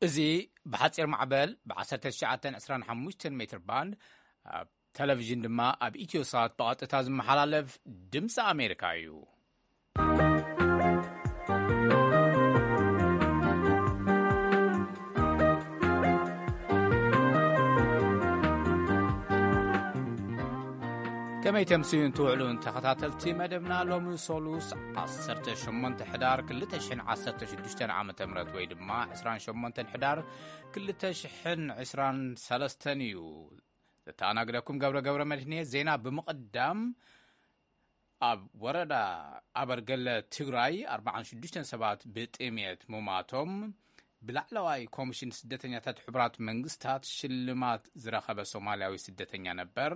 እዚ ብሓጺር ማዕበል ብ1925 ሜትር ባንድ፣ ኣብ ቴሌቪዥን ድማ ኣብ ኢትዮሳት ብቐጥታ ዝመሓላለፍ ድምፂ ኣሜሪካ እዩ። ከመይ ተምስዩን ትውዕሉን ተኸታተልቲ መደብና፣ ሎሚ ሶሉስ 18 ሕዳር 2016 ዓ ም ወይ ድማ 28 ሕዳር 2023 እዩ። ዘተኣናግደኩም ገብረ ገብረ መድህን እየ። ዜና ብምቕዳም፣ ኣብ ወረዳ ኣበርገለ ትግራይ 46 ሰባት ብጥሜት ሙማቶም፣ ብላዕለዋይ ኮሚሽን ስደተኛታት ሕቡራት መንግስታት ሽልማት ዝረኸበ ሶማልያዊ ስደተኛ ነበር፣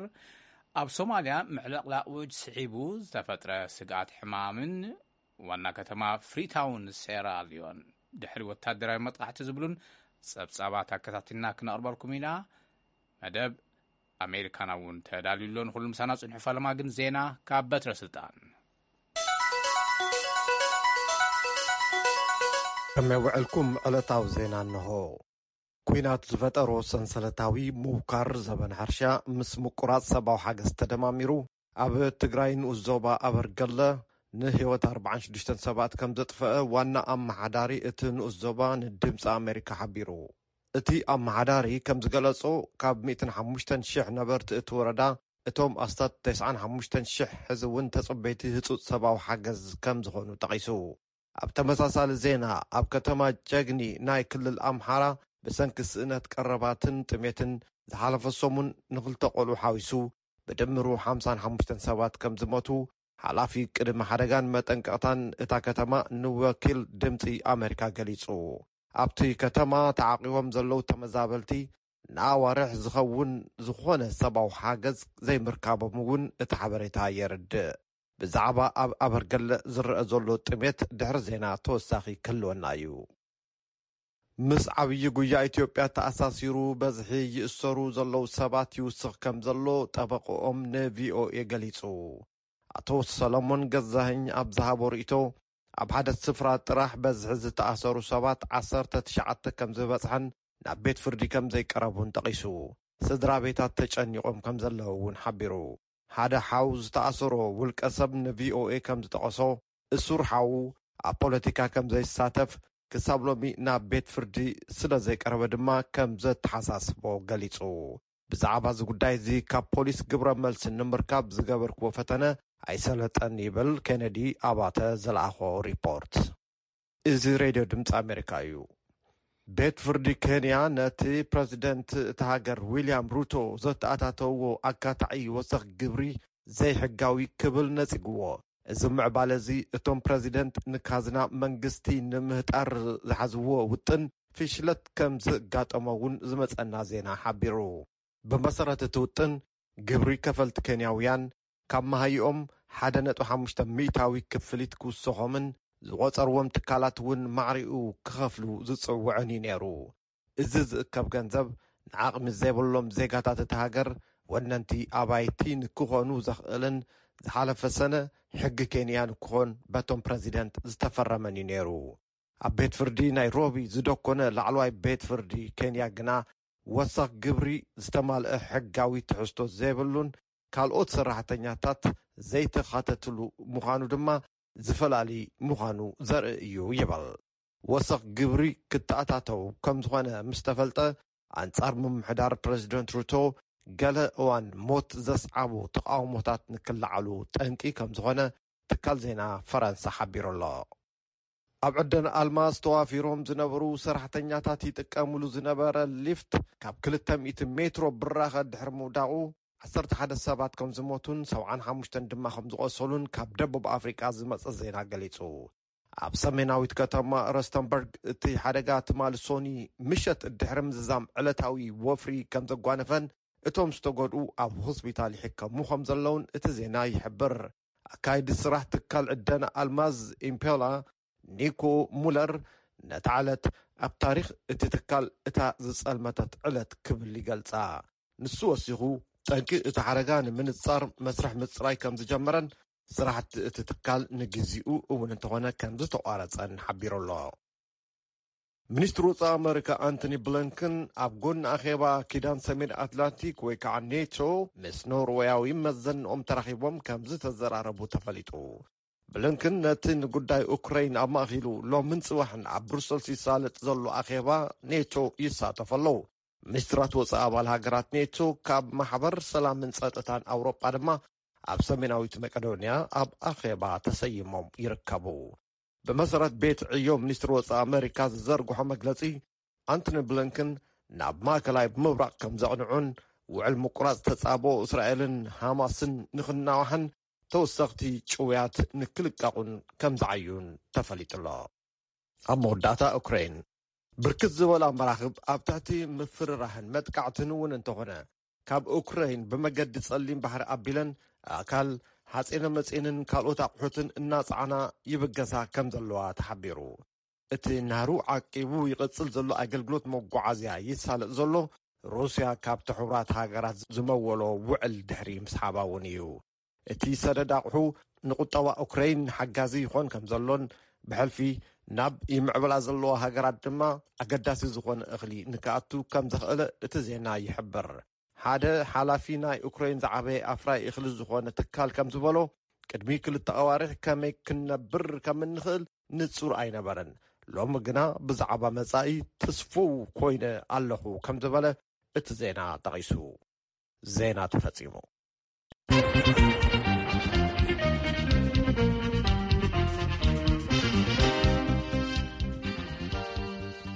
ኣብ ሶማልያ ምዕልቕላቕ ውጅ ስዒቡ ዝተፈጥረ ስግኣት ሕማምን ዋና ከተማ ፍሪታውን ሴራልዮን ድሕሪ ወታደራዊ መጥቃዕቲ ዝብሉን ጸብጻባት ኣከታቲልና ክነቕርበልኩም ኢና። መደብ ኣሜሪካና እውን ተዳልዩ ኣሎ። ንኹሉ ምሳና ጽንሑ። ፈለማ ግን ዜና ካብ በትረ ስልጣን። ከመይ ውዕልኩም? ዕለታዊ ዜና እንሆ። ኲናት ዝፈጠሮ ሰንሰለታዊ ምውካር ዘበን ሕርሻ ምስ ምቁራጽ ሰብኣዊ ሓገዝ ተደማሚሩ፣ ኣብ ትግራይ ንኡስ ዞባ ኣበርገለ ንህይወት 46 ሰባት ከም ዘጥፈአ ዋና ኣመሓዳሪ እቲ ንኡስ ዞባ ንድምፂ ኣሜሪካ ሓቢሩ። እቲ ኣመሓዳሪ ከም ዝገለጾ፣ ካብ 105,000 ነበርቲ እቲ ወረዳ፣ እቶም ኣስታት 95,000 ሕዚ እውን ተጸበይቲ ህጹጽ ሰብኣዊ ሓገዝ ከም ዝኾኑ ጠቒሱ። ኣብ ተመሳሳሊ ዜና፣ ኣብ ከተማ ጨግኒ ናይ ክልል ኣምሓራ፣ ብሰንኪ ስእነት ቀረባትን ጥሜትን፣ ዝሓለፈ ሰሙን ንኽልተ ቆልዑ ሓዊሱ ብድምሩ 55 ሰባት ከም ዝሞቱ፣ ሓላፊ ቅድመ ሓደጋን መጠንቀቕታን እታ ከተማ ንወኪል ድምፂ ኣሜሪካ ገሊጹ። ኣብቲ ከተማ ተዓቂቦም ዘለዉ ተመዛበልቲ፣ ንኣዋርሕ ዝኸውን ዝኾነ ሰብኣዊ ሓገዝ ዘይምርካቦም እውን እቲ ሓበሬታ የርድእ። ብዛዕባ ኣብ ኣበርገለ ዝረአ ዘሎ ጥሜት ድሕሪ ዜና ተወሳኺ ክህልወና እዩ። ምስ ዓብዪ ጉያ ኢትዮጵያ ተኣሳሲሩ በዝሒ ይእሰሩ ዘለዉ ሰባት ይውስኽ ከም ዘሎ ጠበቆኦም ንቪኦኤ ገሊጹ። ኣቶ ሰለሞን ገዛኸኝ ኣብ ዝሃቦ ርእይቶ፣ ኣብ ሓደ ስፍራ ጥራሕ በዝሒ ዝተኣሰሩ ሰባት 19 ከም ዝበጽሐን ናብ ቤት ፍርዲ ከም ዘይቀረቡን ጠቒሱ፣ ስድራ ቤታት ተጨኒቖም ከም ዘለዉ እውን ሓቢሩ። ሓደ ሓው ዝተኣሰሮ ውልቀ ሰብ ንቪኦኤ ከም ዝጠቐሶ፣ እሱር ሓዉ ኣብ ፖለቲካ ከም ዘይሳተፍ፣ ክሳብ ሎሚ ናብ ቤት ፍርዲ ስለ ዘይቀረበ ድማ ከም ዘተሓሳስቦ ገሊጹ። ብዛዕባ እዚ ጉዳይ እዚ ካብ ፖሊስ ግብረ መልሲ ንምርካብ ዝገበርክዎ ፈተነ ኣይሰለጠን ይብል ኬነዲ ኣባተ ዝለኣኾ ሪፖርት። እዚ ሬድዮ ድምፂ ኣሜሪካ እዩ። ቤት ፍርዲ ኬንያ ነቲ ፕረዚደንት እታ ሃገር ዊልያም ሩቶ ዘተኣታተውዎ ኣካታዒ ወሰኽ ግብሪ ዘይሕጋዊ ክብል ነጺግዎ። እዚ ምዕባለ እዚ እቶም ፕረዚደንት ንካዝና መንግስቲ ንምህጣር ዝሓዝዎ ውጥን ፍሽለት ከም ዘጋጠሞ እውን ዝመጸና ዜና ሓቢሩ። ብመሰረት እቲ ውጥን፣ ግብሪ ከፈልቲ ኬንያውያን ካብ መሃይኦም 1.5 ሚእታዊ ክፍሊት ክውሰኾምን ዝቖጸርዎም ትካላት እውን ማዕሪኡ ክኸፍሉ ዝጽውዕን እዩ ነይሩ። እዚ ዝእከብ ገንዘብ ንዓቕሚ ዘይብሎም ዜጋታት እታ ሃገር ወነንቲ ኣባይቲ ንክኾኑ ዘኽእልን ዝሓለፈ ሰነ ሕጊ ኬንያ ንክኾን በቶም ፕረዚደንት ዝተፈረመን እዩ ነይሩ። ኣብ ቤት ፍርዲ ናይሮቢ ዝደኮነ ላዕለዋይ ቤት ፍርዲ ኬንያ ግና፣ ወሰኽ ግብሪ ዝተማልአ ሕጋዊ ትሕዝቶ ዘይብሉን ካልኦት ሰራሕተኛታት ዘይተኻተትሉ ምዃኑ ድማ ዝፈላሊ ምዃኑ ዘርኢ እዩ ይብል። ወሰኽ ግብሪ ክተኣታተው ከም ዝኾነ ምስ ተፈልጠ፣ ኣንጻር ምምሕዳር ፕረዚደንት ሩቶ ገለ እዋን ሞት ዘስዓቡ ተቓውሞታት ንክለዓሉ ጠንቂ ከም ዝኾነ ትካል ዜና ፈረንሳ ሓቢሩ ኣሎ። ኣብ ዕደና ኣልማዝ ተዋፊሮም ዝነበሩ ሰራሕተኛታት ይጥቀምሉ ዝነበረ ሊፍት ካብ 200 ሜትሮ ብራኸ ድሕሪ ምውዳቑ፣ 11 ሰባት ከም ዝሞቱን 75 ድማ ከም ዝቖሰሉን ካብ ደቡብ ኣፍሪቃ ዝመጸ ዜና ገሊጹ። ኣብ ሰሜናዊት ከተማ ረስተንበርግ እቲ ሓደጋ ትማሊ ሶኒ ምሸት ድሕሪ ምዝዛም ዕለታዊ ወፍሪ ከም ዘጓነፈን፣ እቶም ዝተጎድኡ ኣብ ሆስፒታል ይሕከሙ ከም ዘለውን እቲ ዜና ይሕብር። ኣካይዲ ስራሕ ትካል ዕደና ኣልማዝ ኢምፔላ ኒኮ ሙለር፣ ነታ ዕለት ኣብ ታሪኽ እቲ ትካል እታ ዝጸልመተት ዕለት ክብል ይገልጻ። ንሱ ወሲኹ፣ ጠንቂ እቲ ሓደጋ ንምንጻር መስርሕ ምጽራይ ከም ዝጀመረን፣ ስራሕቲ እቲ ትካል ንግዚኡ እውን እንተኾነ ከም ዝተቋረጸን ሓቢሩ ኣሎ። ሚኒስትሪ ወጻኢ ኣመሪካ ኣንቶኒ ብሊንከን ኣብ ጎኒ ኣኼባ ኪዳን ሰሜን ኣትላንቲክ ወይ ከዓ ኔቶ ምስ ኖርወያዊ መዘንኦም ተራኺቦም ከም ዝተዘራረቡ ተፈሊጡ። ብሊንከን ነቲ ንጉዳይ ኡክራይን ኣማእኪሉ ሎምን ጽባሕን ኣብ ብሩሰልስ ይሳለጥ ዘሎ ኣኼባ ኔቶ ይሳተፉ ኣለዉ። ሚኒስትራት ወጻኢ ኣባል ሃገራት ኔቶ ካብ ማሕበር ሰላምን ጸጥታን ኣውሮጳ ድማ ኣብ ሰሜናዊት መቄዶንያ ኣብ ኣኼባ ተሰይሞም ይርከቡ። ብመሰረት ቤት ዕዮ ሚኒስትሪ ወጻኢ ኣመሪካ ዝዘርግሖ መግለጺ፣ ኣንቶኒ ብሊንከን ናብ ማእከላይ ምብራቕ ከም ዘቕንዑን ውዕል ምቁራጽ ተጻብኦ እስራኤልን ሃማስን ንኽናዋሕን ተወሰኽቲ ጭውያት ንክልቀቑን ከም ዝዓዩን ተፈሊጡ ኣሎ። ኣብ መወዳእታ ኡክራይን ብርክት ዝበላ መራኽብ ኣብ ትሕቲ ምፍርራህን መጥቃዕትን እውን እንተኾነ ካብ ኡክራይን ብመገዲ ጸሊም ባሕሪ ኣቢለን ኣእካል፣ ሓጺነ መጺንን ካልኦት ኣቑሑትን እናጸዓና ይብገሳ ከም ዘለዋ ተሓቢሩ። እቲ ናህሩ ዓቂቡ ይቕጽል ዘሎ ኣገልግሎት መጓዓዝያ ይሳለጥ ዘሎ ሩስያ ካብቲ ሕቡራት ሃገራት ዝመወሎ ውዕል ድሕሪ ምስሓባ እውን እዩ። እቲ ሰደድ ኣቑሑ ንቁጠባ ኡክራይን ሓጋዚ ይኾን ከም ዘሎን ብሕልፊ ናብ ይምዕብላ ዘለዋ ሃገራት ድማ ኣገዳሲ ዝኾነ እኽሊ ንክኣቱ ከም ዘኽእለ እቲ ዜና ይሕብር። ሓደ ሓላፊ ናይ ኡክራይን ዝዓበየ ኣፍራይ እኽሊ ዝኾነ ትካል ከም ዝበሎ፣ ቅድሚ ክልተ ኣዋርሕ ከመይ ክንነብር ከም እንኽእል ንጹር ኣይነበረን። ሎሚ ግና ብዛዕባ መጻኢ ትስፉው ኮይነ ኣለኹ ከም ዝበለ እቲ ዜና ጠቒሱ። ዜና ተፈጺሙ።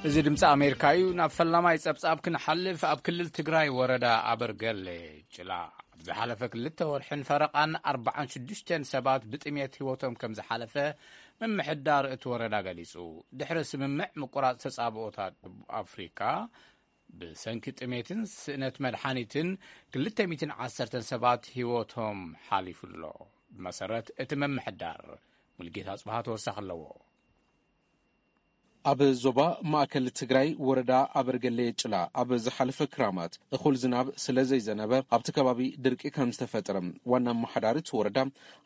እዚ ድምፂ ኣሜሪካ እዩ። ናብ ፈላማይ ጸብጻብ ክንሓልፍ፣ ኣብ ክልል ትግራይ ወረዳ ኣበርገሌ ጭላ ኣብ ዝሓለፈ ክልተ ወርሕን ፈረቓን ኣርባዓን ሽዱሽተን ሰባት ብጥሜት ህይወቶም ከም ዝሓለፈ ምምሕዳር እቲ ወረዳ ገሊጹ። ድሕሪ ስምምዕ ምቁራጽ ተጻብኦታት ደቡብ ኣፍሪካ፣ ብሰንኪ ጥሜትን ስእነት መድሓኒትን ክልተ ሚእትን ዓሰርተን ሰባት ህይወቶም ሓሊፉ ኣሎ። ብመሰረት እቲ ምምሕዳር፣ ሙልጌታ ጽባሃ ተወሳኺ ኣለዎ። ኣብ ዞባ ማእከል ትግራይ ወረዳ ኣበርገሌ ጭላ ኣብ ዝሓለፈ ክራማት እኹል ዝናብ ስለ ዘይዘነበ ኣብቲ ከባቢ ድርቂ ከም ዝተፈጠረ ዋና ኣመሓዳሪ እቲ ወረዳ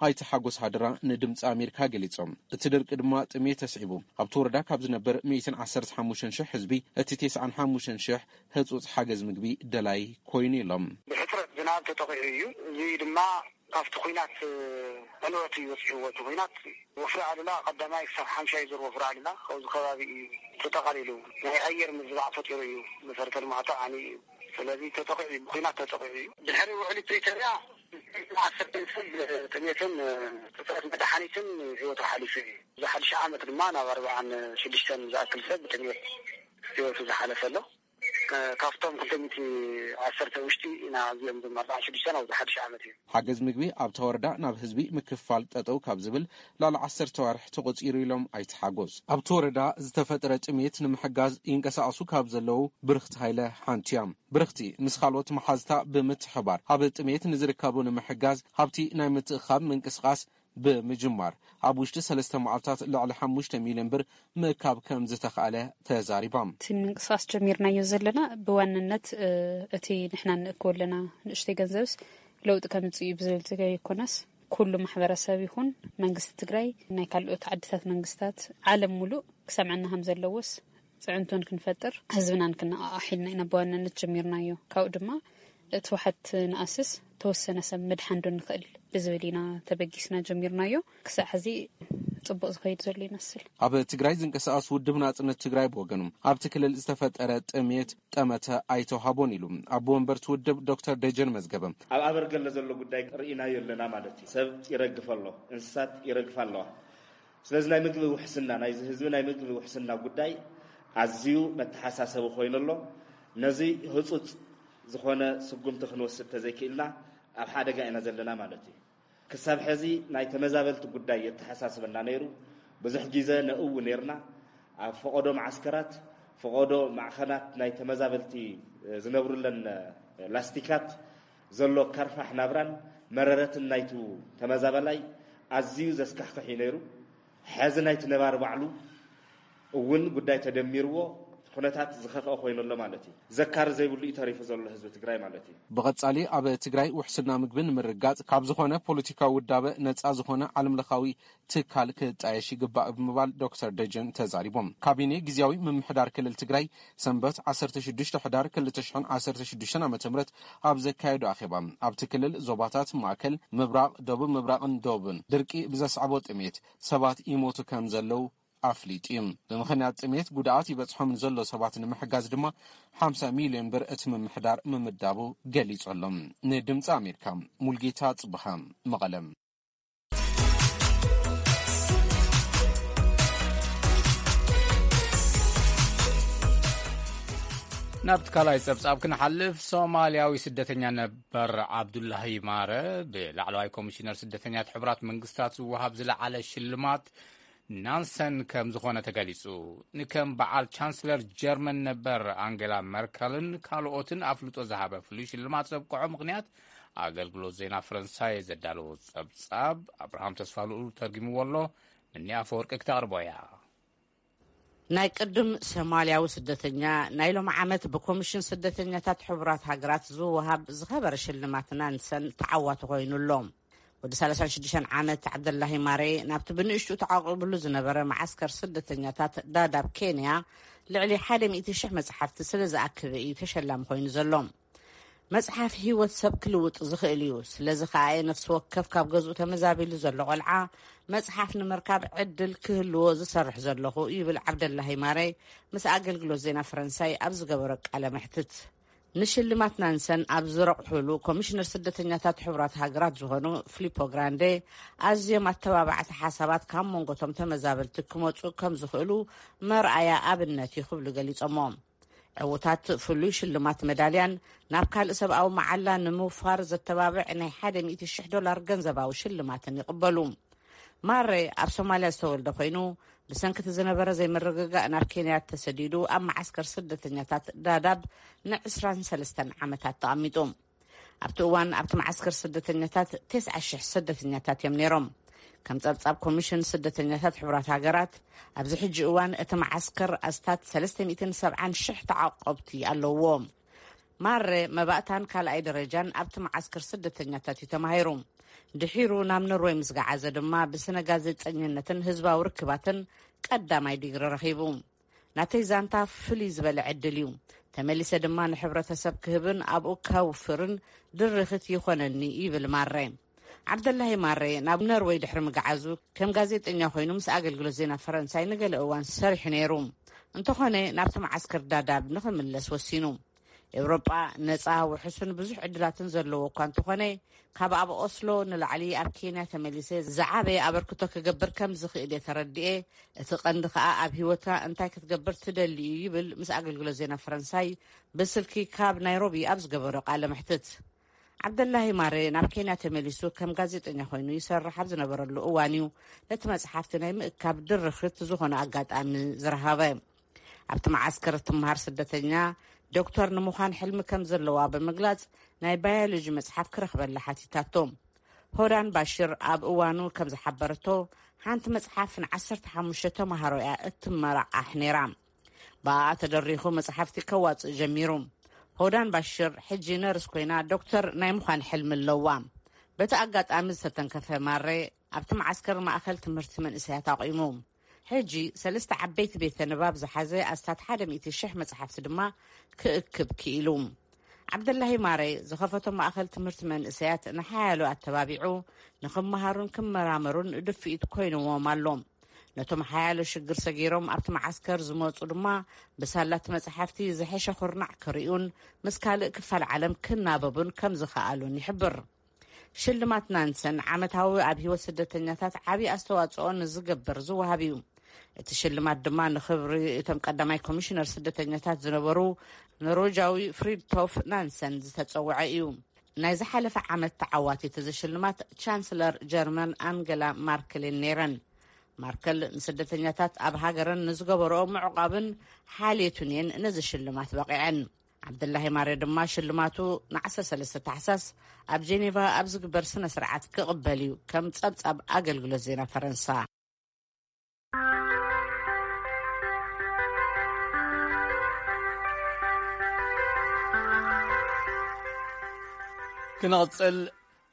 ኣይተ ሓጎስ ሃደራ ንድምፂ ኣሜሪካ ገሊጾም። እቲ ድርቂ ድማ ጥሜት ተስዒቡ ኣብቲ ወረዳ ካብ ዝነብር ሚእትን ዓሰርተ ሓሙሽተን ሽሕ ህዝቢ እቲ ተስዓን ሓሙሽተን ሽሕ ህጹጽ ሓገዝ ምግቢ ደላይ ኮይኑ ኢሎም። ብሕጽረት ዝናብ ተጠቒዑ እዩ። እዚ ድማ ካብቲ ኲናት ዕንወት እዩ በጺሕዎ። እቲ ኲናት ወፍሪ ኣሉላ ቀዳማይ ክሳብ ሓምሻይ ዙር ወፍሪ ኣሉላ ካብዚ ከባቢ እዩ ተጠቓሊሉ። ናይ ኣየር ምዝባዕ ፈጢሩ እዩ። መሰረተ ልምዓቱ ዓንዩ እዩ። ስለዚ ተጠቒዑ እዩ፣ ብኲናት ተጠቒዑ እዩ። ድሕሪ ውዕሊ ፕሪቶርያ ዓሰርተ ሰብ ጥሜትን እጥረት መድሓኒትን ህይወቱ ሓሊፉ እዩ። እዚ ሓድሽ ዓመት ድማ ናብ ኣርባዓን ሽዱሽተን ዝኣክል ሰብ ብጥሜት ህይወቱ ዝሓለፈ ኣሎ። ከ-፣ ካብቶም ክልተ ሚእቲ ዓሰርተ ውሽጢ ኢና እዚኦም፣ እዞም ኣርባዓን ሽዱሽተን ኣብዚ ሓድሽ ዓመት እዩ። ሓገዝ ምግቢ ኣብታ ወረዳ ናብ ህዝቢ ምክፋል ጠጠው ካብ ዝብል ልዕሊ ዓሰርተ ዋርሕ ተቖጺሩ ኢሎም ኣይተ ሓጎስ። ኣብቲ ወረዳ ዝተፈጠረ ጥሜት ንምሕጋዝ ይንቀሳቐሱ ካብ ዘለዉ ብርኽቲ ሃይለ ሓንቲ እያ። ብርኽቲ ምስ ካልኦት መሓዝታ ብምትሕባር ኣብ ጥሜት ንዝርከቡ ንምሕጋዝ ሃብቲ ናይ ምትእኻብ ምንቅስቓስ ብምጅማር ኣብ ውሽጢ ሰለስተ መዓልታት ልዕሊ ሓሙሽተ ሚልዮን ብር ምእካብ ከም ዝተኻእለ ተዛሪባ። እቲ ምንቅስቓስ ጀሚርናዮ ዘለና ብዋንነት፣ እ፣ እቲ ንሕና እንእክቦ ኣለና ንእሽተይ ገንዘብስ ለውጢ ከምጽእ እዩ ብዝብል ዘይኮነስ፣ ኩሉ ማሕበረሰብ ይኹን መንግስቲ ትግራይ፣ ናይ ካልኦት ዓድታት መንግስታት፣ ዓለም ሙሉእ ክሰምዐና ከም ዘለዎስ ፅዕንቶን ክንፈጥር ህዝብናን ክነቓቓሕ ኢልና ኢና ብዋናነት ጀሚርናዮ። ካብኡ ድማ እቲ ዋሕድ ንኣስስ ተወሰነ ሰብ ምድሓን ዶ ንኽእል ብዝብል ኢና ተበጊስና ጀሚርናዮ። ክሳዕ ሕዚ ጽቡቕ ዝኸይድ ዘሎ ይመስል። ኣብ ትግራይ ዝንቀሳቐስ ውድብ ናጽነት ትግራይ ብወገኑ ኣብቲ ክልል ዝተፈጠረ ጥሜት ጠመተ ኣይተውሃቦን ኢሉ ኣቦ ወንበርቲ ውድብ ዶክተር ደጀን መዝገበ። ኣብ ኣበርገለ ዘሎ ጉዳይ ርኢናዮ ኣለና ማለት እዩ። ሰብ ይረግፍ ኣሎ፣ እንስሳት ይረግፋ ኣለዋ። ስለዚ ናይ ምግቢ ውሕስና፣ ናይዚ ህዝቢ ናይ ምግቢ ውሕስና ጉዳይ ኣዝዩ መተሓሳሰቢ ኮይኑ ኣሎ። ነዚ ህጹጽ ዝኾነ ስጉምቲ ክንወስድ ተዘይክኢልና ኣብ ሓደጋ ኢና ዘለና ማለት እዩ። ክሳብ ሕዚ ናይ ተመዛበልቲ ጉዳይ የተሓሳስበና ነይሩ። ብዙሕ ግዜ ነእዊ ነይርና። ኣብ ፈቐዶ መዓስከራት፣ ፈቐዶ ማዕኸናት ናይ ተመዛበልቲ ዝነብሩለን ላስቲካት ዘሎ ከርፋሕ ናብራን መረረትን ናይቱ ተመዛበላይ ኣዝዩ ዘስካሕክሕ እዩ ነይሩ። ሕዚ ናይቲ ነባሪ ባዕሉ እውን ጉዳይ ተደሚርዎ ኩነታት ዝኸፍአ ኮይኑ ኣሎ ማለት እዩ። ዘካሪ ዘይብሉ እዩ ተሪፉ ዘሎ ህዝቢ ትግራይ ማለት እዩ። ብቐጻሊ ኣብ ትግራይ ውሕስና ምግቢ ንምርጋጽ ካብ ዝኾነ ፖለቲካዊ ውዳበ ነጻ ዝኾነ ዓለምለኻዊ ትካል ክጣየሽ ይግባእ ብምባል ዶክተር ደጀን ተዛሪቦም። ካቢኔ ግዝያዊ ምምሕዳር ክልል ትግራይ ሰንበት ዓሰርተ ሽዱሽተ ሕዳር ክልተ ሽሕን ዓሰርተ ሽዱሽተን ዓመተ ምህረት ኣብ ዘካየዶ ኣኼባ፣ ኣብቲ ክልል ዞባታት ማእከል፣ ምብራቕ፣ ደቡብ ምብራቕን ደቡብን ድርቂ ብዘስዕቦ ጥሜት ሰባት ይሞቱ ከም ዘለዉ ኣፍሊጡ እዩ። ብምኽንያት ጥሜት ጉድኣት ይበጽሖም ንዘሎ ሰባት ንምሕጋዝ ድማ ሓምሳ ሚልዮን ብር እቲ ምምሕዳር ምምዳቡ ገሊጹ ኣሎ። ንድምፂ ኣሜሪካ፣ ሙልጌታ ጽብሃ፣ መቐለ። ናብቲ ካልኣይ ጸብጻብ ክንሓልፍ፣ ሶማልያዊ ስደተኛ ነበር ዓብዱላሂ ማረ ብላዕለዋይ ኮሚሽነር ስደተኛታት ሕቡራት መንግስታት ዝወሃብ ዝለዓለ ሽልማት ናንሰን ከም ዝኾነ ተገሊጹ። ንከም በዓል ቻንስለር ጀርመን ነበር ኣንጌላ መርከልን ካልኦትን ኣፍልጦ ዝሃበ ፍሉይ ሽልማት ዘብቅዖ ምኽንያት ኣገልግሎት ዜና ፈረንሳይ ዘዳለዎ ጸብጻብ ኣብርሃም ተስፋልኡል ተርጊምዎ ኣሎ። ምኒ ኣፈወርቂ ክተቕርቦ እያ። ናይ ቅድም ሶማልያዊ ስደተኛ ናይ ሎም ዓመት ብኮሚሽን ስደተኛታት ሕቡራት ሃገራት ዝወሃብ ዝኸበረ ሽልማት ናንሰን ተዓዋቲ ኮይኑ ኣሎ። ወዲ ሰላሳን ሽዱሽተን ዓመት ዓብደላሂ ማሬ ናብቲ ብንእሽቱ ተዓቂብሉ ዝነበረ መዓስከር ስደተኛታት ዳዳብ ኬንያ ልዕሊ ሓደ ሚእቲ ሽሕ መጽሓፍቲ ስለ ዝኣከበ እዩ ተሸላሚ ኮይኑ ዘሎ። መጽሓፍ ህይወት ሰብ ክልውጥ ዝኽእል እዩ። ስለዚ ከኣ ነፍሲ ወከፍ ካብ ገዝኡ ተመዛቢሉ ዘሎ ቆልዓ መጽሓፍ ንምርካብ ዕድል ክህልዎ ዝሰርሕ ዘለኹ ይብል ዓብደላሂ ማሬ ምስ ኣገልግሎት ዜና ፈረንሳይ ኣብ ዝገበሮ ቃለ መሕትት። ንሽልማት ናንሰን ኣብ ዝረቑሑሉ ኮሚሽነር ስደተኛታት ሕቡራት ሃገራት ዝኾኑ ፊሊፖ ግራንዴ ኣዝዮም ኣተባባዕቲ ሓሳባት ካብ መንጎቶም ተመዛበልቲ ክመጹ ከም ዝኽእሉ መርኣያ ኣብነት እዩ ክብሉ ገሊጾሞ። ዕዉታት ፍሉይ ሽልማት መዳልያን ናብ ካልእ ሰብኣዊ መዓላ ንምውፋር ዘተባብዕ ናይ ሓደ ሚእቲ ሽሕ ዶላር ገንዘባዊ ሽልማትን ይቕበሉ። ማሬ ኣብ ሶማልያ ዝተወልደ ኮይኑ ብሰንክቲ ዝነበረ ዘይምርግጋእ ናብ ኬንያ ተሰዲዱ ኣብ መዓስከር ስደተኛታት ዳዳብ ንዕስራን ሰለስተን ዓመታት ተቐሚጡ። ኣብቲ እዋን ኣብቲ መዓስከር ስደተኛታት ተስዓ ሽሕ ስደተኛታት እዮም ነይሮም። ከም ጸብጻብ ኮሚሽን ስደተኛታት ሕቡራት ሃገራት ኣብዚ ሕጂ እዋን እቲ መዓስከር ኣስታት ሰለስተ ሚእትን ሰብዓን ሽሕ ተዓቆብቲ ኣለውዎ። ማረ መባእታን ካልኣይ ደረጃን ኣብቲ መዓስከር ስደተኛታት እዩ ተማሂሩ። ድሒሩ ናብ ኖርወይ ምስ ገዓዘ ድማ ብስነ ጋዜጠኝነትን ህዝባዊ ርክባትን ቀዳማይ ዲግሪ ረኺቡ። ናተይ ዛንታ ፍልይ ዝበለ ዕድል እዩ። ተመሊሰ ድማ ንሕብረተሰብ ክህብን ኣብኡ ከውፍርን ድርኽት ይኾነኒ ይብል ማረ። ዓብደላሂ ማረ ናብ ኖርወይ ድሕሪ ምግዓዙ ከም ጋዜጠኛ ኮይኑ ምስ ኣገልግሎት ዜና ፈረንሳይ ንገለ እዋን ሰሪሑ ነይሩ። እንተኾነ ናብቲ መዓስከር ዳዳብ ንኽምለስ ወሲኑ። ኤውሮጳ ነጻ ውሑስን ብዙሕ ዕድላትን ዘለዎ እኳ እንተኾነ ካብ ኣብ ኦስሎ ንላዕሊ ኣብ ኬንያ ተመሊሰ ዝዓበየ ኣበርክቶ ክገብር ከም ዝኽእል እየ ተረድኤ። እቲ ቀንዲ ከኣ ኣብ ህይወትካ እንታይ ክትገብር ትደሊ እዩ ይብል ምስ ኣገልግሎት ዜና ፈረንሳይ ብስልኪ ካብ ናይሮቢ ኣብ ዝገበሮ ቃለ መሕትት። ዓብደላሂ ማሬ ናብ ኬንያ ተመሊሱ ከም ጋዜጠኛ ኮይኑ ይሰርሕ ኣብ ዝነበረሉ እዋን እዩ ነቲ መጽሓፍቲ ናይ ምእካብ ድርኽት ዝኾነ ኣጋጣሚ ዝረኸበ። ኣብቲ መዓስከር እትመሃር ስደተኛ ዶክተር ንምዃን ሕልሚ ከም ዘለዋ ብምግላጽ ናይ ባዮሎጂ መጽሓፍ ክረኽበላ ሓቲታቶ። ሆዳን ባሽር ኣብ እዋኑ ከም ዝሓበረቶ ሓንቲ መጽሓፍ ንዓሰርተ ሓሙሽተ ተማሃሮ እያ እትመራቓሕ ነይራ። ብኣኣ ተደሪኹ መጽሓፍቲ ከዋጽእ ጀሚሩ። ሆዳን ባሽር ሕጂ ነርስ ኮይና ዶክተር ናይ ምዃን ሕልሚ ኣለዋ። በቲ ኣጋጣሚ ዝተተንከፈ ማሬ ኣብቲ መዓስከር ማእኸል ትምህርቲ መንእሰያት ኣቑሙ። ሕጂ ሰለስተ ዓበይቲ ቤተ ንባብ ዝሓዘ ኣስታት ሓደ ሚእቲ ሽሕ መጽሓፍቲ ድማ ክእክብ ክኢሉ። ዓብደላሂ ማሬ ዝኸፈቶ ማእኸል ትምህርቲ መንእሰያት ንሓያሎ ኣተባቢዑ ንኽመሃሩን ክመራመሩን ድፍኢት ኮይንዎም ኣሎ። ነቶም ሓያሎ ሽግር ሰጊሮም ኣብቲ መዓስከር ዝመጹ ድማ ብሳላት መጽሓፍቲ ዝሐሸ ኩርናዕ ክርእዩን ምስ ካልእ ክፋል ዓለም ክናበቡን ከም ዝኸኣሉን ይሕብር። ሽልማት ናንሰን ዓመታዊ ኣብ ህይወት ስደተኛታት ዓቢ ኣስተዋጽኦ ንዝገብር ዝወሃብ እዩ። እቲ ሽልማት ድማ ንኽብሪ እቶም ቀዳማይ ኮሚሽነር ስደተኛታት ዝነበሩ ኖርወጃዊ ፍሪድቶፍ ናንሰን ዝተጸውዐ እዩ። ናይ ዝሓለፈ ዓመት ተዓዋቲት እዚ ሽልማት ቻንስለር ጀርመን ኣንገላ ማርክልን ነይረን። ማርከል ንስደተኛታት ኣብ ሃገረን ንዝገበረኦ ምዕቋብን ሓልየቱን እየን ነዚ ሽልማት በቒዐን። ዓብደላሂ ማሬ ድማ ሽልማቱ ንዓሰርተ ሰለስተ ታሕሳስ ኣብ ጄኔቫ ኣብ ዝግበር ስነ ስርዓት ክቕበል እዩ፣ ከም ጸብጻብ ኣገልግሎት ዜና ፈረንሳ። ክንቕጽል፣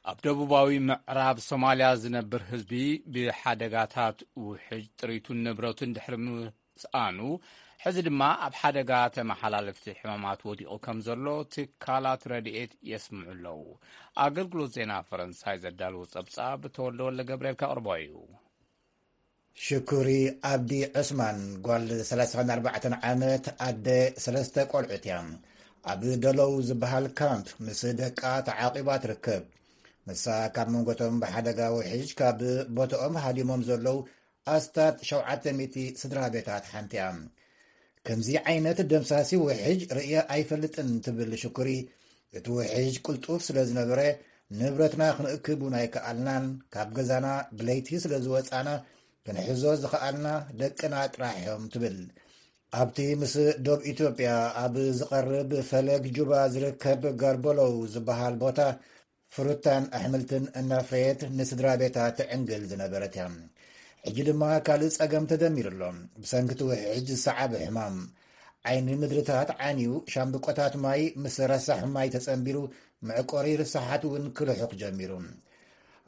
ኣብ ደቡባዊ ምዕራብ ሶማልያ ዝነብር ህዝቢ ብሓደጋታት ውሕጅ ጥሪቱን ንብረቱን ድሕሪ ምስኣኑ፣ ሕዚ ድማ ኣብ ሓደጋ ተመሓላለፍቲ ሕማማት ወዲቑ ከም ዘሎ ትካላት ረድኤት የስምዑ ኣለዉ። ኣገልግሎት ዜና ፈረንሳይ ዘዳለዎ ጸብጻብ ተወልደ ወልደ ገብርኤል ከቕርቦ እዩ። ሽኩሪ ኣብዲ ዑስማን፣ ጓል ሰላሳን ኣርባዕተን ዓመት፣ ኣደ ሰለስተ ቆልዑት እያ። ኣብ ደሎው ዝበሃል ካምፕ ምስ ደቃ ተዓቂባ ትርከብ። ንሳ ካብ መንጎቶም ብሓደጋ ውሕጅ ካብ ቦታኦም ሃዲሞም ዘለዉ ኣስታት ሸውዓተ ሚእቲ ስድራ ቤታት ሓንቲ እያ። ከምዚ ዓይነት ደምሳሲ ውሕጅ ርእየ ኣይፈልጥን ትብል ሽኩሪ፣ እቲ ውሕጅ ቅልጡፍ ስለ ዝነበረ፣ ንብረትና ክንእክብ እውን ኣይከኣልናን። ካብ ገዛና ብለይቲ ስለ ዝወጻና፣ ክንሕዞ ዝኸኣልና ደቅና ጥራሕ እዮም ትብል። ኣብቲ ምስ ዶብ ኢትዮጵያ ኣብ ዝቐርብ ፈለግ ጁባ ዝርከብ ጋርበሎው ዝበሃል ቦታ፣ ፍሩታን ኣሕምልትን እናፍረየት ንስድራ ቤታ ትዕንግል ዝነበረት እያ። ሕጂ ድማ ካልእ ጸገም ተደሚሩ ኣሎ። ብሰንኪ እቲ ውሕጅ ዝሰዓበ ሕማም፣ ዓይኒ ምድርታት ዓንዩ፣ ሻምብቆታት ማይ ምስ ረሳሕ ማይ ተጸንቢሩ፣ መዕቆሪ ርሳሓት እውን ክልሑኽ ጀሚሩ።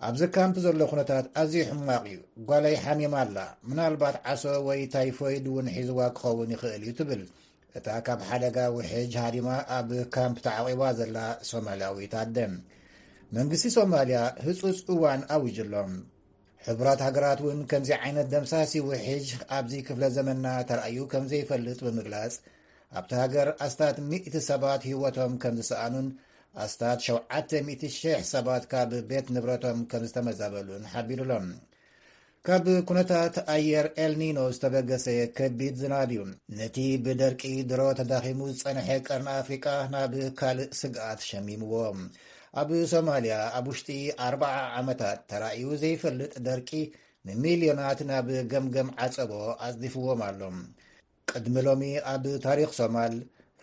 ኣብዚ ካምፕ ዘሎ ኩነታት ኣዝዩ ሕማቕ እዩ። ጓለይ ሓሚማ ኣላ። ምናልባት ዓሶ ወይ ታይፎይድ እውን ሒዝዋ ክኸውን ይኽእል እዩ ትብል እታ ካብ ሓደጋ ውሕጅ ሃዲማ ኣብ ካምፕ ተዓቒባ ዘላ ሶማልያዊት ኣደ። መንግስቲ ሶማልያ ህጹጽ እዋን ኣዊጁ ኣሎ። ሕቡራት ሃገራት እውን ከምዚ ዓይነት ደምሳሲ ውሕጅ ኣብዚ ክፍለ ዘመንና ተራእዩ ከም ዘይፈልጥ ብምግላጽ፣ ኣብቲ ሃገር ኣስታት ሚእቲ ሰባት ህይወቶም ከም ዝሰኣኑን ኣስታት ሸውዓተ ሚእቲ ሺሕ ሰባት ካብ ቤት ንብረቶም ከም ዝተመዛበሉን ሓቢሩ ኣሎ። ካብ ኩነታት ኣየር ኤልኒኖ ዝተበገሰ ከቢድ ዝናብ እዩ ነቲ ብደርቂ ድሮ ተዳኺሙ ዝጸንሐ ቀርኒ ኣፍሪቃ ናብ ካልእ ስግኣት ሸሚምዎ። ኣብ ሶማልያ ኣብ ውሽጢ ኣርብዓ ዓመታት ተራእዩ ዘይፈልጥ ደርቂ ንሚልዮናት ናብ ገምገም ዓጸቦ ኣጽዲፍዎም ኣሎ። ቅድሚ ሎሚ ኣብ ታሪኽ ሶማል፣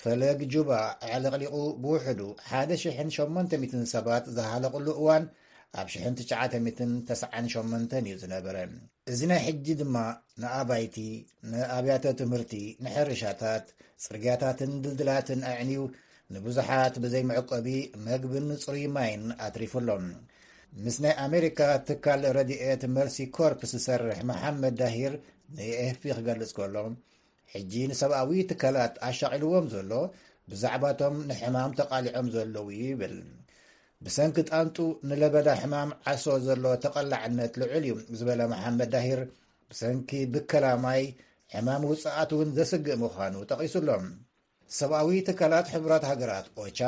ፈለግ ጁባ ኣዕለቕሊቑ ብውሕዱ ሓደ ሽሕን ሸሞንተ ሚእትን ሰባት ዝሃለቕሉ እዋን ኣብ ሽሕን ትሽዓተ ሚእትን ተስዓን ሸሞንተን እዩ ዝነበረ። እዚ ናይ ሕጂ ድማ ንኣባይቲ፣ ንኣብያተ ትምህርቲ፣ ንሕርሻታት፣ ጽርግያታትን ድልድላትን ኣዕንዩ፣ ንብዙሓት ብዘይ መዕቆቢ መግብን ጽሩይ ማይን ኣትሪፉ ኣሎ። ምስ ናይ ኣሜሪካ ትካል ረድኤት መርሲ ኮርፕስ ዝሰርሕ መሓመድ ዳሂር ንኤኤፍፒ ክገልጽ ከሎ፣ ሕጂ ንሰብኣዊ ትካላት ኣሻቒልዎም ዘሎ ብዛዕባቶም ንሕማም ተቓሊዖም ዘለዉ እዩ ይብል። ብሰንኪ ጣንጡ ንለበዳ ሕማም ዓሶ ዘሎ ተቐላዕነት ልዑል እዩ ዝበለ መሓመድ ዳሂር፣ ብሰንኪ ብከላ ማይ ሕማም ውጽኣት እውን ዘስግእ ምዃኑ ጠቒሱ ኣሎ። ሰብኣዊ ትካላት ሕቡራት ሃገራት ኦቻ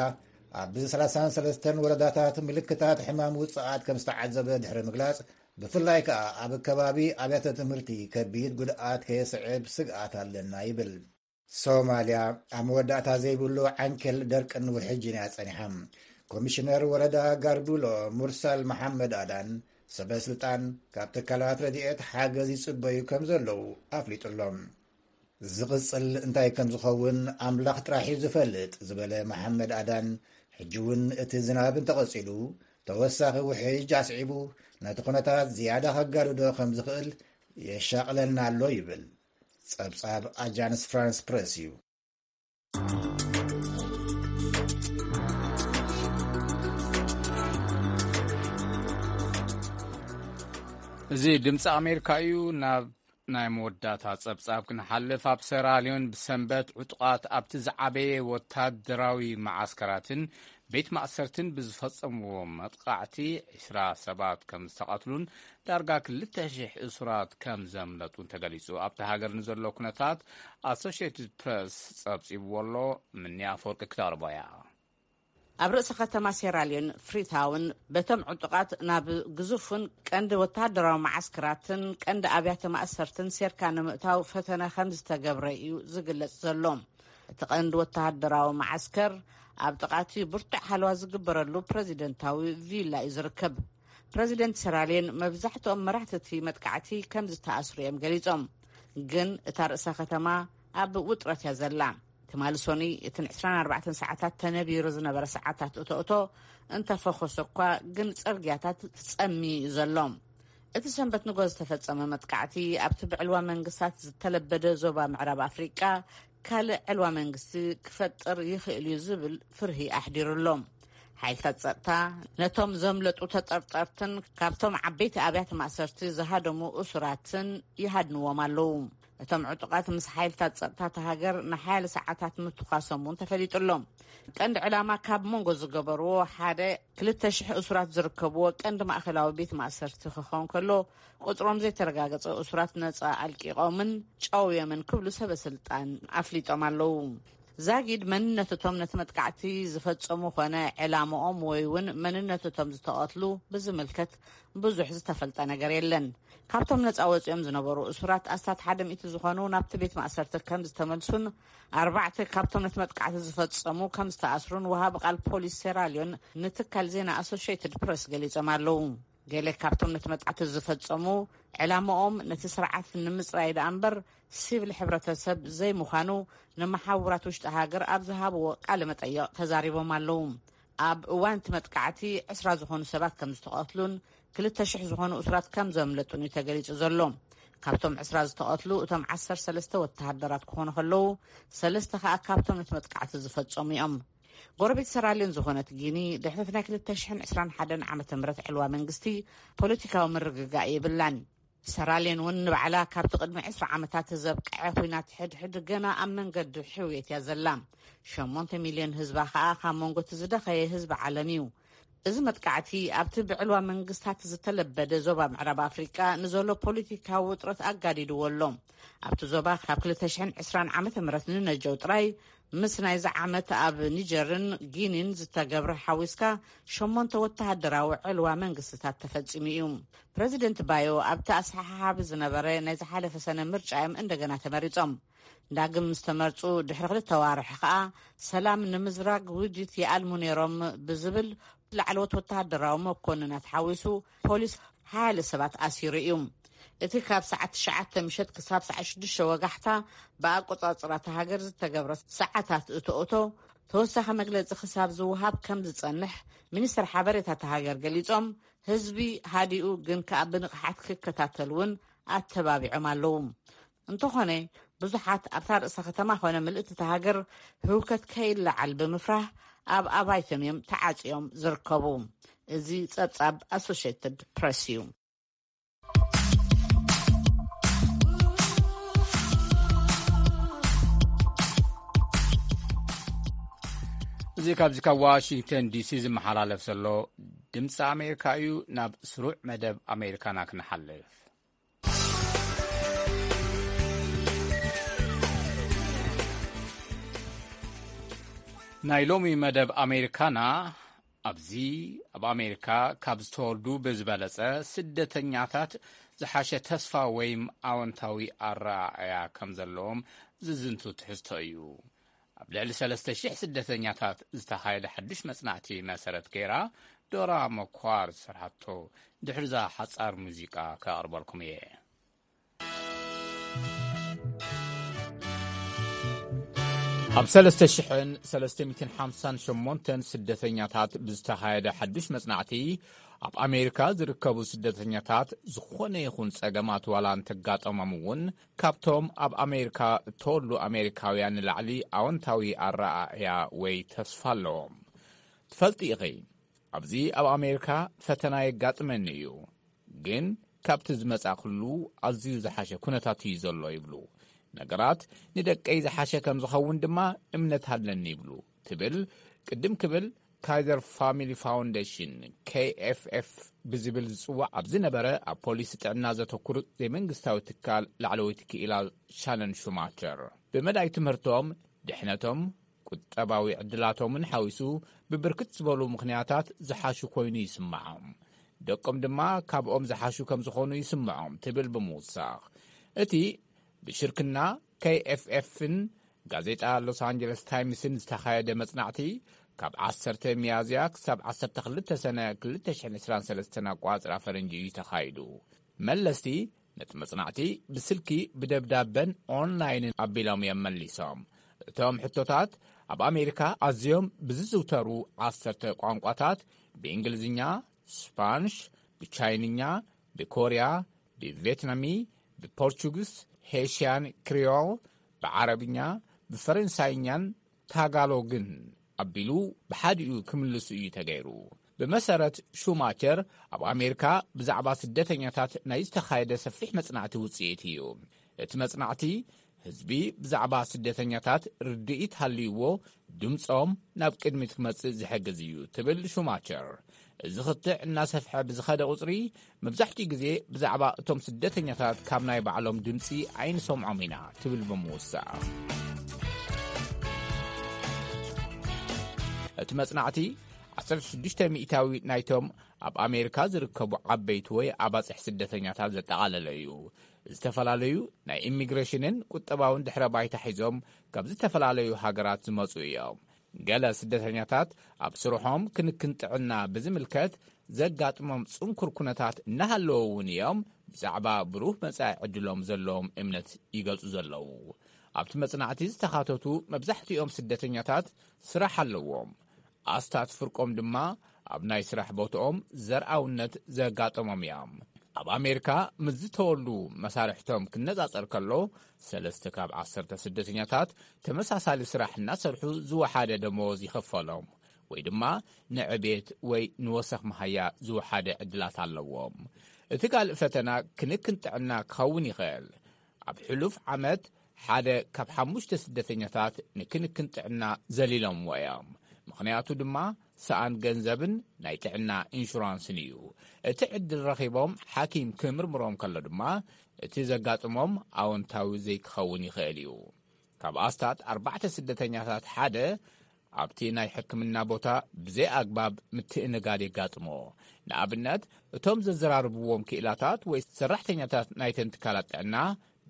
ኣብ ሰላሳን ሰለስተን ወረዳታት ምልክታት ሕማም ውጽኣት ከም ዝተዓዘበ ድሕሪ ምግላጽ፣ ብፍላይ ከኣ ኣብ ከባቢ ኣብያተ ትምህርቲ ከቢድ ጉድኣት ከየስዕብ ስግኣት ኣለና ይብል። ሶማልያ ኣብ መወዳእታ ዘይብሉ ዓንኬል ደርቅን ውሕጅን እያ ጸኒሓ። ኮሚሽነር ወረዳ ጋርዱሎ ሙርሳል መሓመድ ኣዳን ሰበ ስልጣን ካብ ትካላት ረድኤት ሓገዝ ይጽበዩ ከም ዘለዉ ኣፍሊጡ ኣሎ። ዝቕጽል እንታይ ከም ዝኸውን ኣምላኽ ጥራሕ እዩ ዝፈልጥ ዝበለ መሓመድ ኣዳን፣ ሕጂ እውን እቲ ዝናብ እንተቐጺሉ፣ ተወሳኺ ውሕጅ ኣስዒቡ ነቲ ኩነታት ዝያዳ ከጋድዶ ከም ዝኽእል የሻቕለና ኣሎ ይብል። ጸብጻብ ኣጃንስ ፍራንስ ፕረስ እዩ። እዚ ድምፂ ኣሜሪካ እዩ። ናብ ናይ መወዳእታ ጸብጻብ ክንሓልፍ፣ ኣብ ሰራልዮን ብሰንበት ዕጡቓት ኣብቲ ዝዓበየ ወታደራዊ መዓስከራትን ቤት ማእሰርትን ብዝፈጸምዎ መጥቃዕቲ ዕስራ ሰባት ከም ዝተቐትሉን ዳርጋ ክልተ ሺሕ እሱራት ከም ዘምለጡን ተገሊጹ። ኣብቲ ሃገር ንዘሎ ኩነታት ኣሶሽየትድ ፕረስ ጸብጺብዎ ኣሎ። ምንያ ኣፈወርቂ ክተቕርቦ እያ። ኣብ ርእሰ ከተማ ሴራልዮን ፍሪታውን በቶም ዕጡቓት ናብ ግዙፍን ቀንዲ ወተሃደራዊ መዓስከራትን ቀንዲ ኣብያተ ማእሰርትን ሴርካ ንምእታው ፈተነ ከም ዝተገብረ እዩ ዝግለጽ ዘሎ። እቲ ቀንዲ ወተሃደራዊ መዓስከር ኣብ ጥቓቲ ብርቱዕ ሓለዋ ዝግበረሉ ፕረዚደንታዊ ቪላ እዩ ዝርከብ። ፕረዚደንት ሴራልዮን መብዛሕትኦም መራሕቲ እቲ መጥቃዕቲ ከም ዝተኣስሩ እዮም ገሊጾም። ግን እታ ርእሰ ከተማ ኣብ ውጥረት እያ ዘላ። ትማሊ ሶኒ እቲ ን ዕስራን ኣርባዕተን ሰዓታት ተነቢሩ ዝነበረ ሰዓታት እቶ እቶ እንተፈኾሰ እኳ፣ ግን ጽርግያታት ጸሚ እዩ ዘሎ። እቲ ሰንበት ንጎ ዝተፈጸመ መጥቃዕቲ ኣብቲ ብዕልዋ መንግስታት ዝተለበደ ዞባ ምዕራብ ኣፍሪቃ ካልእ ዕልዋ መንግስቲ ክፈጥር ይኽእል እዩ ዝብል ፍርሂ ኣሕዲሩ ኣሎ። ሓይልታት ጸጥታ ነቶም ዘምለጡ ተጠርጠርትን ካብቶም ዓበይቲ ኣብያተ ማእሰርቲ ዝሃደሙ እሱራትን ይሃድንዎም ኣለዉ። እቶም ዕጡቓት ምስ ሓይልታት ጸጥታ እታ ሃገር ንሓያለ ሰዓታት ምትኳሶም እውን ተፈሊጡ ኣሎ። ቀንዲ ዕላማ ካብ መንጎ ዝገበርዎ ሓደ ክልተ ሽሕ እሱራት ዝርከብዎ ቀንዲ ማእከላዊ ቤት ማእሰርቲ ክኸውን ከሎ፣ ቁጽሮም ዘይተረጋገጸ እሱራት ነጻ ኣልቂቖምን ጨውዮምን ክብሉ ሰበ ስልጣን ኣፍሊጦም ኣለዉ። ዛጊድ መንነት እቶም ነቲ መጥቃዕቲ ዝፈጸሙ ኮነ ዕላምኦም ወይ እውን መንነት እቶም ዝተቐትሉ ብዝምልከት ብዙሕ ዝተፈልጠ ነገር የለን። ካብቶም ነጻ ወጺኦም ዝነበሩ እሱራት ኣስታት ሓደ ሚእቲ ዝኾኑ ናብቲ ቤት ማእሰርቲ ከም ዝተመልሱን ኣርባዕተ ካብቶም ነቲ መጥቃዕቲ ዝፈጸሙ ከም ዝተኣስሩን ወሃቢ ቃል ፖሊስ ሴራልዮን ንትካል ዜና ኣሶሽየትድ ፕረስ ገሊጾም ኣለዉ። ገለ ካብቶም ነቲ መጥቃዕቲ ዝፈጸሙ ዕላማኦም ነቲ ስርዓት ንምጽራይ ደኣ እምበር ሲቪል ሕብረተሰብ ዘይምዃኑ ንመሓውራት ውሽጢ ሃገር ኣብ ዝሃብዎ ቃለ መጠይቕ ተዛሪቦም ኣለዉ። ኣብ እዋን እቲ መጥቃዕቲ ዕስራ ዝኾኑ ሰባት ከም ዝተቐትሉን ክልተ ሽሕ ዝኾኑ እሱራት ከም ዘምለጡን እዩ ተገሊጹ ዘሎ። ካብቶም ዕስራ ዝተቐትሉ እቶም ዓሰርተ ሰለስተ ወተሃደራት ክኾኑ ከለዉ፣ ሰለስተ ከኣ ካብቶም ነቲ መጥቃዕቲ ዝፈጸሙ እዮም። ጎረቤት ሰራልዮን ዝኾነት ጊኒ ድሕሪ ናይ ክልተ ሽሕን ዕስራን ሓደን ዓመተ ምህረት ዕልዋ መንግስቲ ፖለቲካዊ ምርግጋእ የብላን። ሰራልዮን እውን ንባዕላ ካብቲ ቅድሚ ዕስራ ዓመታት ዘብቅዐ ኲናት ሕድሕድ ገና ኣብ መንገዲ ሕውየት እያ ዘላ። ሸሞንተ ሚልዮን ህዝባ ከኣ ካብ መንጎ እቲ ዝደኸየ ህዝቢ ዓለም እዩ። እዚ መጥቃዕቲ ኣብቲ ብዕልዋ መንግስታት ዝተለበደ ዞባ ምዕራብ ኣፍሪቃ ንዘሎ ፖለቲካዊ ውጥረት ኣጋዲድዎ ኣሎ። ኣብቲ ዞባ ካብ ክልተ ሽሕን ዕስራን ዓመተ ምህረት ንነጀው ጥራይ ምስ ናይዚ ዓመት ኣብ ኒጀርን ጊኒን ዝተገብረ ሓዊስካ ሸሞንተ ወተሃደራዊ ዕልዋ መንግስትታት ተፈጺሙ እዩ። ፕረዚደንት ባዮ ኣብቲ ኣሰሓሓቢ ዝነበረ ናይ ዝሓለፈ ሰነ ምርጫ እዮም እንደገና ተመሪጾም። ዳግም ምስ ተመርጹ ድሕሪ ክልተ ዋርሕ ከኣ ሰላም ንምዝራግ ውዲት ይኣልሙ ነይሮም ብዝብል ላዕለዎት ወተሃደራዊ መኮንናት ሓዊሱ ፖሊስ ሓያለ ሰባት ኣሲሩ እዩ። እቲ ካብ ሰዓት ትሽዓተ ምሸት ክሳብ ሰዓት ሽዱሽተ ወጋሕታ ብኣቆጻጽራ እታ ሃገር ዝተገብረ ሰዓታት እቶ እቶ ተወሳኺ መግለጺ ክሳብ ዝወሃብ ከም ዝጸንሕ ሚኒስትር ሓበሬታ እታ ሃገር ገሊጾም፣ ህዝቢ ሃዲኡ ግን ከኣ ብንቕሓት ክከታተል እውን ኣተባቢዖም ኣለዉ። እንተኾነ ብዙሓት ኣብታ ርእሰ ከተማ ኮነ ምልእቲ እታ ሃገር ህውከት ከይለዓል ብምፍራህ ኣብ ኣባይቶም እዮም ተዓጽዮም ዝርከቡ። እዚ ጸብጻብ ኣሶሽየትድ ፕረስ እዩ። እዚ ካብዚ ካብ ዋሽንግተን ዲሲ ዝመሓላለፍ ዘሎ ድምፂ ኣሜሪካ እዩ። ናብ ስሩዕ መደብ ኣሜሪካና ክንሓልፍ። ናይ ሎሚ መደብ ኣሜሪካና ኣብዚ ኣብ ኣሜሪካ ካብ ዝተወልዱ ብዝበለጸ ስደተኛታት ዝሓሸ ተስፋ ወይም ኣወንታዊ ኣረኣእያ ከም ዘለዎም ዝዝንቱ ትሕዝቶ እዩ። ኣብ ልዕሊ ሰለስተ ሽሕ ስደተኛታት ዝተኻየደ ሓድሽ መጽናዕቲ መሰረት ገይራ ዶራ መኳር ዝሰርሓቶ ድሕርዛ ሓጻር ሙዚቃ ከቕርበልኩም እየ። ኣብ ሰለስተ ሽሕን ሰለስተ ሚእትን ሓምሳን ሸሞንተን ስደተኛታት ብዝተኻየደ ሓዱሽ መጽናዕቲ፣ ኣብ ኣሜሪካ ዝርከቡ ስደተኛታት ዝኾነ ይኹን ጸገማት ዋላ እንተጋጠሞም እውን፣ ካብቶም ኣብ ኣሜሪካ እተወሉ ኣሜሪካውያን ንላዕሊ ኣወንታዊ ኣረኣእያ ወይ ተስፋ ኣለዎም። ትፈልጢ ኢኺ፣ ኣብዚ ኣብ ኣሜሪካ ፈተና የጋጥመኒ እዩ፣ ግን ካብቲ ዝመጻእኩሉ ኣዝዩ ዝሓሸ ኩነታት እዩ ዘሎ ይብሉ። ነገራት ንደቀይ ዝሓሸ ከም ዝኸውን ድማ እምነት ኣለኒ ይብሉ ትብል ቅድም ክብል ካይዘር ፋሚሊ ፋውንዴሽን፣ ኬኤፍኤፍ፣ ብዝብል ዝጽዋዕ ኣብ ዝነበረ ኣብ ፖሊሲ ጥዕና ዘተኩር ዘይመንግስታዊ ትካል ላዕለወይቲ ክኢላ ሻነን ሹማቸር። ብመዳይ ትምህርቶም፣ ድሕነቶም፣ ቁጠባዊ ዕድላቶምን ሓዊሱ ብብርክት ዝበሉ ምኽንያታት ዝሓሹ ኮይኑ ይስምዖም። ደቆም ድማ ካብኦም ዝሓሹ ከም ዝኾኑ ይስምዖም ትብል ብምውሳኽ፣ እቲ ብሽርክና ኬኤፍኤፍን ጋዜጣ ሎስ ኣንጀለስ ታይምስን ዝተኻየደ መጽናዕቲ ካብ ዓሰርተ ሚያዝያ ክሳብ ዓሰርተ ክልተ ሰነ ክልተ ሽሕን ዕስራን ሰለስተን ኣቋጽራ ፈረንጂ እዩ ተኻይዱ። መለስቲ ነቲ መጽናዕቲ ብስልኪ፣ ብደብዳበን ኦንላይንን ኣቢሎም እዮም መሊሶም። እቶም ሕቶታት ኣብ ኣሜሪካ ኣዝዮም ብዝዝውተሩ ዓሰርተ ቋንቋታት፣ ብእንግሊዝኛ፣ ስፓንሽ፣ ብቻይንኛ፣ ብኮርያ፣ ብቬትናሚ፣ ብፖርቹግስ፣ ሄሽያን ክሪዮል፣ ብዓረብኛ፣ ብፈረንሳይኛን ታጋሎግን ኣቢሉ ብሓዲኡ ክምልሱ እዩ ተገይሩ። ብመሰረት ሹማቸር፣ ኣብ ኣሜሪካ ብዛዕባ ስደተኛታት ናይ ዝተኻየደ ሰፊሕ መጽናዕቲ ውጽኢት እዩ። እቲ መጽናዕቲ፣ ህዝቢ ብዛዕባ ስደተኛታት ርድኢት ሃልይዎ ድምጾም ናብ ቅድሚት ክመጽእ ዝሕግዝ እዩ፣ ትብል ሹማቸር። እዚ ክትዕ እናሰፍሐ ብዝኸደ ቁጽሪ፣ መብዛሕትኡ ግዜ ብዛዕባ እቶም ስደተኛታት ካብ ናይ ባዕሎም ድምጺ ኣይንሰምዖም ኢና፣ ትብል ብምውሳእ። እቲ መጽናዕቲ፣ ዓሰርተ ሽዱሽተ ሚእታዊ ናይቶም ኣብ ኣሜሪካ ዝርከቡ ዓበይቲ ወይ ኣባጽሕ ስደተኛታት ዘጠቓለለ እዩ። ዝተፈላለዩ ናይ ኢሚግሬሽንን ቁጠባውን ድሕረ ባይታ ሒዞም ካብ ዝተፈላለዩ ሃገራት ዝመጹ እዮም። ገለ ስደተኛታት ኣብ ስርሖም ክንክን ጥዕና ብዝምልከት ዘጋጥሞም ጽንኩር ኩነታት እናሃለዎ እውን እዮም ብዛዕባ ብሩህ መጻኢ ዕድሎም ዘለዎም እምነት ይገልጹ ዘለዉ። ኣብቲ መጽናዕቲ ዝተኻተቱ መብዛሕትኦም ስደተኛታት ስራሕ ኣለዎም። ኣስታት ፍርቆም ድማ ኣብ ናይ ስራሕ ቦትኦም ዘርኣውነት ዘጋጠሞም እዮም። ኣብ ኣሜሪካ ምስ ዝተወልዱ መሳርሕቶም ክነጻጸር ከሎ፣ ሰለስተ ካብ ዓሰርተ ስደተኛታት ተመሳሳሊ ስራሕ እናሰርሑ ዝወሓደ ደመወዝ ይኽፈሎም፣ ወይ ድማ ንዕቤት ወይ ንወሰኽ መሃያ ዝወሓደ ዕድላት ኣለዎም። እቲ ካልእ ፈተና ክንክን ጥዕና ክኸውን ይኽእል። ኣብ ሕሉፍ ዓመት ሓደ ካብ ሓሙሽተ ስደተኛታት ንክንክን ጥዕና ዘሊሎምዎ እዮም። ምኽንያቱ ድማ ሰኣን ገንዘብን ናይ ጥዕና ኢንሹራንስን እዩ። እቲ ዕድል ረኺቦም ሓኪም ክምርምሮም ከሎ ድማ እቲ ዘጋጥሞም ኣወንታዊ ዘይክኸውን ይኽእል እዩ። ካብ ኣስታት ኣርባዕተ ስደተኛታት ሓደ ኣብቲ ናይ ሕክምና ቦታ ብዘይ ኣግባብ ምትእንጋድ የጋጥሞ። ንኣብነት፣ እቶም ዘዘራርብዎም ክኢላታት ወይ ሰራሕተኛታት ናይተን ትካላት ጥዕና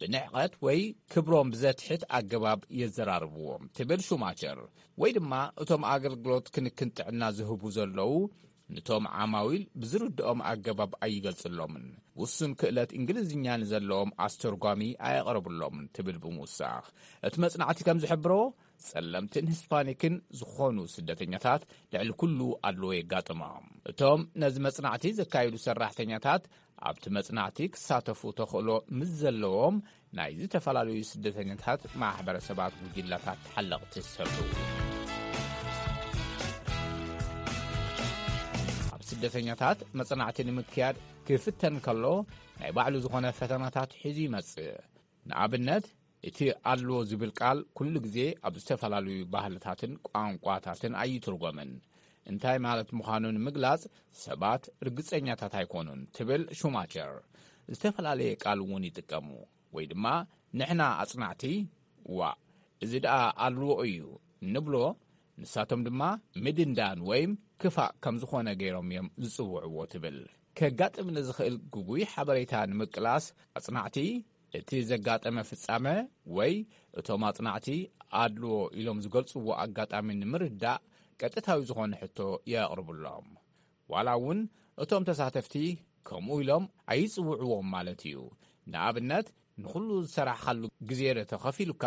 ብንዕቐት ወይ ክብሮም ብዘትሕት ኣገባብ የዘራርብዎም፣ ትብል ሹማቸር። ወይ ድማ እቶም ኣገልግሎት ክንክን ጥዕና ዝህቡ ዘለዉ ንቶም ዓማዊል ብዝርድኦም ኣገባብ ኣይገልጽሎምን። ውሱን ክእለት እንግሊዝኛ ንዘለዎም ኣስተርጓሚ ኣየቕርብሎምን፣ ትብል ብምውሳኽ። እቲ መጽናዕቲ ከም ዝሕብሮ፣ ጸለምትን ሂስፓኒክን ዝኾኑ ስደተኛታት ልዕሊ ኩሉ ኣድልዎ የጋጥሞም። እቶም ነዚ መጽናዕቲ ዘካየዱ ሰራሕተኛታት ኣብቲ መጽናዕቲ ክሳተፉ ተኽእሎ ምስ ዘለዎም ናይ ዝተፈላለዩ ስደተኛታት ማሕበረሰባት ጉጅላታት ተሓለቕቲ ዝሰርሑ። ኣብ ስደተኛታት መጽናዕቲ ንምክያድ ክፍተን ከሎ ናይ ባዕሉ ዝኾነ ፈተናታት ሒዙ ይመጽእ። ንኣብነት፣ እቲ ኣድልዎ ዝብል ቃል ኩሉ ግዜ ኣብ ዝተፈላለዩ ባህልታትን ቋንቋታትን ኣይትርጎምን። እንታይ ማለት ምዃኑ ንምግላጽ ሰባት ርግጸኛታት ኣይኮኑን፣ ትብል ሹማቸር። ዝተፈላለየ ቃል እውን ይጥቀሙ፣ ወይ ድማ ንሕና ኣጽናዕቲ፣ ዋእ፣ እዚ ደኣ ኣድልዎ እዩ እንብሎ፣ ንሳቶም ድማ ምድንዳን ወይም ክፋእ ከም ዝኾነ ገይሮም እዮም ዝጽውዕዎ፣ ትብል። ከጋጥም ንዝኽእል ግጉይ ሓበሬታ ንምቅላስ ኣጽናዕቲ እቲ ዘጋጠመ ፍጻመ ወይ እቶም ኣጽናዕቲ ኣድልዎ ኢሎም ዝገልጽዎ ኣጋጣሚ ንምርዳእ ቀጥታዊ ዝኾነ ሕቶ የቕርብሎም። ዋላ እውን እቶም ተሳተፍቲ ከምኡ ኢሎም ኣይጽውዕዎም ማለት እዩ። ንኣብነት፣ ንኹሉ ዝሰራሕኻሉ ግዜ ዶ ተኸፊሉካ?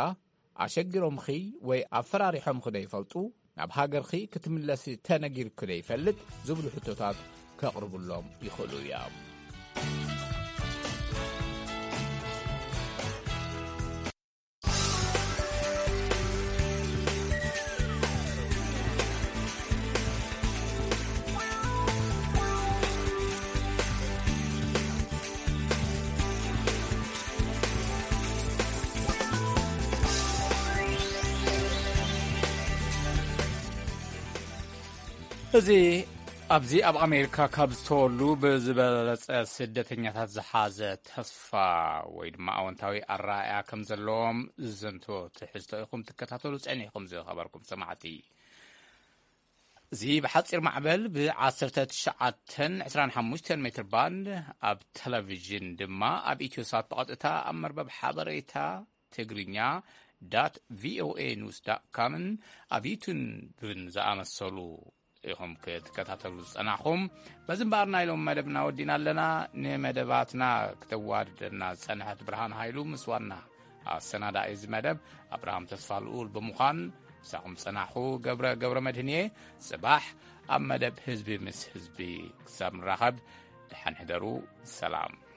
ኣሸጊሮምኺ ወይ ኣፈራሪሖምኺ ዶ ይፈልጡ? ናብ ሃገርኺ ክትምለሲ ተነጊርኪ ዶ ይፈልጥ? ዝብሉ ሕቶታት ከቕርብሎም ይኽእሉ እዮም። እዚ ኣብዚ ኣብ ኣሜሪካ ካብ ዝተወሉ ብዝበለጸ ስደተኛታት ዝሓዘ ተስፋ ወይ ድማ ኣወንታዊ ኣረኣእያ ከም ዘለዎም ዝዘንቶ ትሕዝቶ ኢኹም ትከታተሉ ጸኒሕኩም ዝኸበርኩም ሰማዕቲ። እዚ ብሓጺር ማዕበል ብ19 25 ሜትር ባንድ ኣብ ቴሌቪዥን ድማ ኣብ ኢትዮሳት ብቐጥታ ኣብ መርበብ ሓበሬታ ትግርኛ ዳት ቪኦኤ ኒውስ ዳት ካምን ኣብ ዩቱብን ዝኣመሰሉ ኢኹም ክትከታተሉ ዝጸናኹም። በዚ እምበኣር ናይ ሎም መደብና ወዲና ኣለና። ንመደባትና ክተዋድደና ዝጸንሐት ብርሃን ሃይሉ ምስ ዋና ኣሰናዳኢ እዚ መደብ ኣብርሃም ተስፋ ልኡል ብምዃን ምሳኹም ጸናኹ። ገብረ ገብረ መድህን እየ። ጽባሕ ኣብ መደብ ህዝቢ ምስ ህዝቢ ክሳብ ንራኸብ ደሓን ሕደሩ። ሰላም።